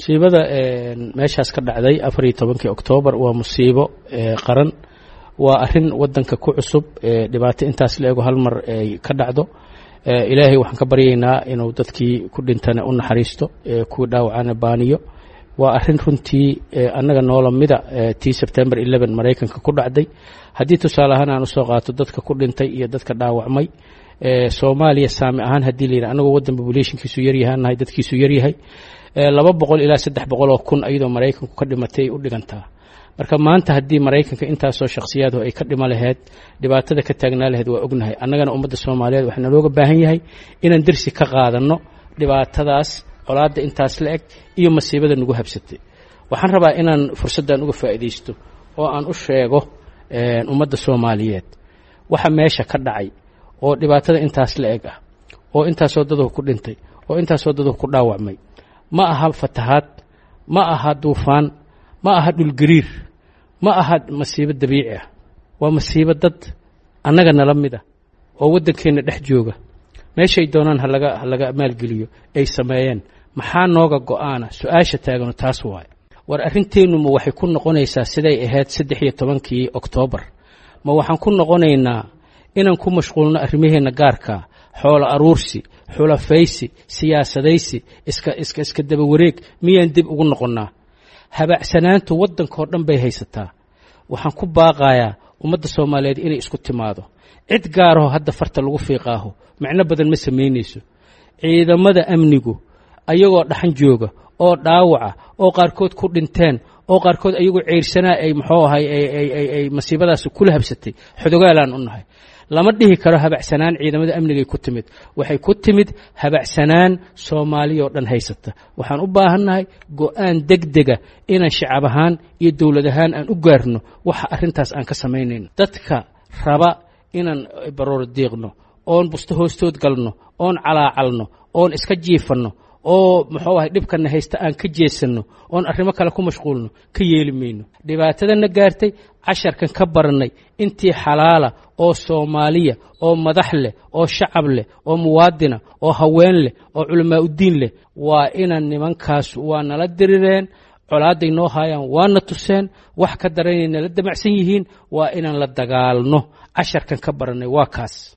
Musiibada meeshaas ka dhacday 14-kii Oktoobar waa musiibo qaran, waa arrin wadanka ku cusub. Dhibaato intaas la ego hal mar ay ka dhacdo, Ilaahay waxaan ka baryaynaa inuu dadkii ku dhintana u naxariisto, kuwii dhaawacana baaniyo. Waa arrin runtii annaga noola mida tii Sebtember 11 Maraykanka ku dhacday. Haddii tusaale ahaan aan usoo qaato dadka ku dhintay iyo dadka dhaawacmay, Soomaaliya saami ahaan haddii la yidhi, anagoo waddan populationkiisu yaryahaan nahay, dadkiisu yaryahay, 200 ilaa 300 oo kun ayadoo Maraykanku ka dhimatay u dhigantaa. Marka maanta haddii Maraykanka intaasoo shakhsiyaadu ay ka dhima laheyd, dhibaatada ka taagnaa laheyd waa ognahay. Annagana ummadda Soomaaliyeed waxaa nalooga baahan yahay inaan dersi ka qaadanno dhibaatadaas, colaadda intaas la eg iyo masiibada nagu habsatay. Waxaan rabaa inaan fursaddan uga faa'iidaysto oo aan u sheego ummadda Soomaaliyeed waxa meesha ka dhacay oo dhibaatada intaas la eg ah, oo intaasoo daduhu ku dhintay, oo intaasoo daduhu ku dhaawacmay, ma aha fatahaad, ma aha duufaan, ma aha dhulgariir, ma aha masiibo dabiici ah. Waa masiibo dad annaga nala mid ah oo waddankeenna dhex jooga, meeshay doonaan halaga maalgeliyo, ay sameeyeen. Maxaa nooga go'aana? Su-aasha taagano taas waaye. War arrinteennu ma waxay ku noqonaysaa siday ahayd 13-kii Oktoobar? Ma waxaan ku noqonaynaa inaan ku mashquulno arrimaheenna gaarkaa, xoolo aruursi, xulafaysi, siyaasadaysi, iska daba wareeg? Miyaan dib ugu noqonnaa? Habacsanaantu waddankao dhan bay haysataa. Waxaan ku baaqayaa ummadda Soomaaliyeed inay isku timaado. Cid gaaraho hadda farta lagu fiiqaaho micno badan ma samaynayso. Ciidamada amnigu ayagoo dhaxan jooga oo dhaawaca oo qaarkood ku dhinteen oo qaarkood ayagoo ceyrsanaa ay muxuu ahay ay masiibadaasi kula habsatay, xodogaalaan u nahay. Lama dhihi karo habacsanaan ciidamada amnigay ku timid. Waxay ku timid habacsanaan Soomaaliya oo dhan haysata. Waxaan u baahannahay go-aan degdega inaan shacab ahaan iyo dowlad ahaan aan u gaarno waxa arrintaas aan ka samaynayno. Dadka raba inaan baroor diiqno oon busto hoostood galno oon calaacalno oon iska jiifanno oo muxuu ahay dhibkana haysta aan ka jeesanno oon arrimo kale ku mashquulno, ka yeeli mayno. Dhibaatadana gaartay casharkan ka barannay. Intii xalaala oo Soomaaliya oo madax leh oo shacab leh oo muwaadina oo haween leh oo culamaa uddiin leh, waa inaan nimankaas waa nala dirireen, colaaday noo haayaan waana tuseen, wax ka daranay nala damacsan yihiin, waa inaan la dagaalno. Casharkan ka barannay waa kaas.